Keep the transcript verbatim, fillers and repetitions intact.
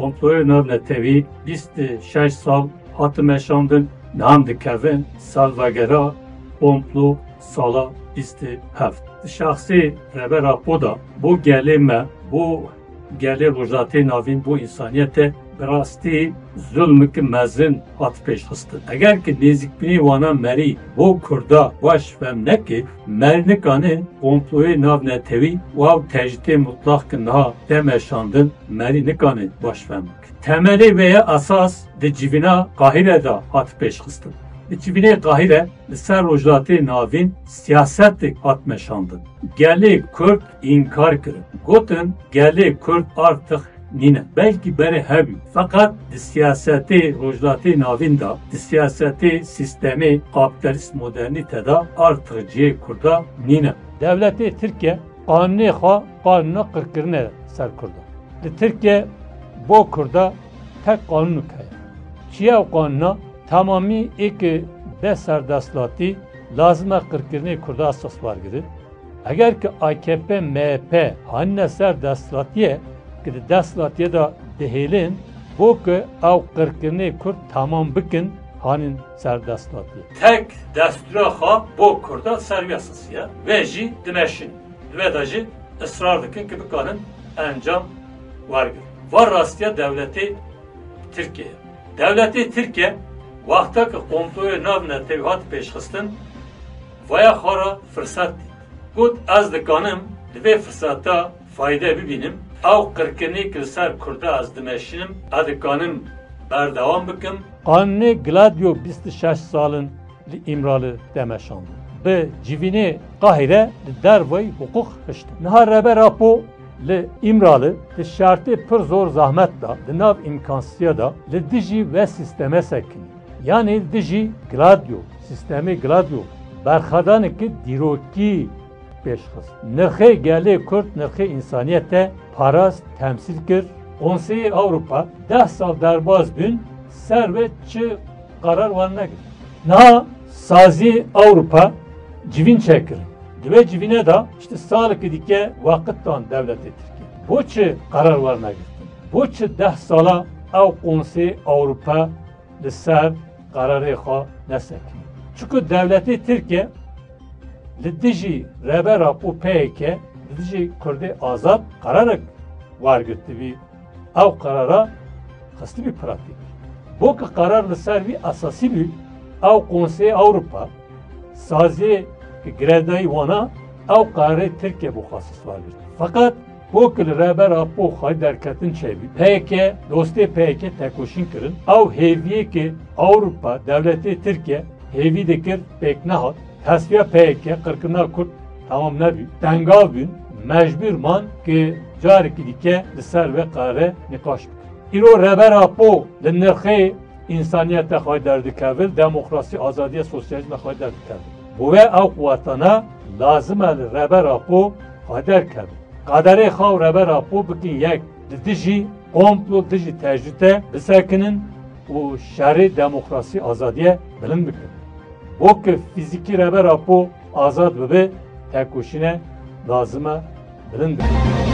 Komployê navnetewî bîst û şeş sal hate meşandin, niha em dikevin salvegera komplo sala bîst û heft. Di şexsê Rêber Apo de bo gelê me, bo gelê Rojhilatê Navîn, bo însaniyete bi rastî zulmeke mezin hat pêşxistin. Eger ki nêzîkbûnê wana merî bo Kurda baş fem neke, merî nikane komployê navnetewî û ew tecrîtê mutlaq ki niha tê meşandin, merî nikane baş fem bike. Temelê vê ye esas di civîna Qahîre de hat pêşxistin. Di civînê Qahîre li ser Rojhilatê Navîn siyasetek hat meşandin. Gelê Kurd înkar kirin. Gotin, gelê Kurd artix nîne. Belkî berê hebû. Feqet di siyasetê Rojhilatê Navîn de, di siyasetê sîstemê kapîtalîst modernîte de artix cihê Kurda nîne. Dewletê Tirkiye qanûnê xwe qanûna qirkirinê ser Kurdan. Li Tirkiye bo Kurda tek qanûnek heye. Çi ye ew qanûna? Temamî ê ki be serdestlatî lazim e qirkirinê Kurda esas wergire. Eger ki A K P M H P hanine ser desthilatiyê, ki di desthilatiyê de dihêlin, bo ki ew qirkirinê Kurd temam bikin, hanin ser desthilatiyê. Tek destûra xwe bo Kurda ser wî esasî ye. Vê jî dimeşin. Li vê de jî israr dikin ki bikarin encam wergirin. Va rastiya dewletê Tirkiye ye. Dewletê Tirkiye wexta ki komployê navnetewî hat pêşxistin, vaya xwe re firset dît. Got, ez dikanim li vê firseta fayde bibînim. Ew qirkirinê ki li ser Kurda ez dimeşinim, ez dikanim berdewam bikim. Qanûnê Gladio bîst û şeş sal in li Îmrali tê meşandin. Bi civînê Qahîre li dervayî hiqûq hiştin. Niha Rêber Apo li Îmrali di şertê pir zor zehmet de, di nav îmkansiztiya de li dijî vê sîstemê sekinî. Yanî li dijî Gladio, sîstemê Gladio, berxwedaneke dîrokî pêşxist. Nirxê gelê Kurd, nirxê însaniyete parast, temsîl kir. Konseyê Ewropa deh sal derbas bûn, ser wê çi qerar wan negirt. Niha saziyê Ewropa civîn çêkirin. Di vê civînê de işte salekî dike weqit dan dewletê Tirkiye. Bo çi qerar wan negirtin? Bo çi deh sala ew Konseyê Ewropa li ser qerarê xwe nesekinî? Çunku dewletê Tirkiye li dijî Rêber Apo P Y K, li dijî Kurdê azad qerarek wergirtibî, ew qerara xistibî pratîk. Bo ki qerar li ser vî esasî bî, ew Konseyê Ewropa, saziyê ki girêdayî wana, ew qerarê Tirkiye bo xwe esas wergirt. Feqet bo ki li Rêber Apo xwedî derketin çêbî, P Y K, dostê P Y K tekoşîn kirin. Ew hêviyê ki Ewropa, dewletê Tirkiye hêvî dikir, pêk nehat. Tesfiya P Y K, qirkirina Kurd temam nebû. Tengav bûn, mecbûr man ki carekî dike li ser vê qerarê nîqaş bikin. Îro Rêber Apo li nirxê însaniyete xwe derdikeve, demokrasî, azadiye, sosyalîzme xwe derdikeve. Bo vê ew quwetana lazim e li Rêber Apo xwe derkeve. Qederê xwe û Rêber Apo bikin yek, li dijî komplo, dijî tecrîte bisekinin û şerê demokrasî, azadiye bilind bikin. Bo ki fîzîkî Rêber Apo azad bibe, tekoşîne lazim e bilind bikin.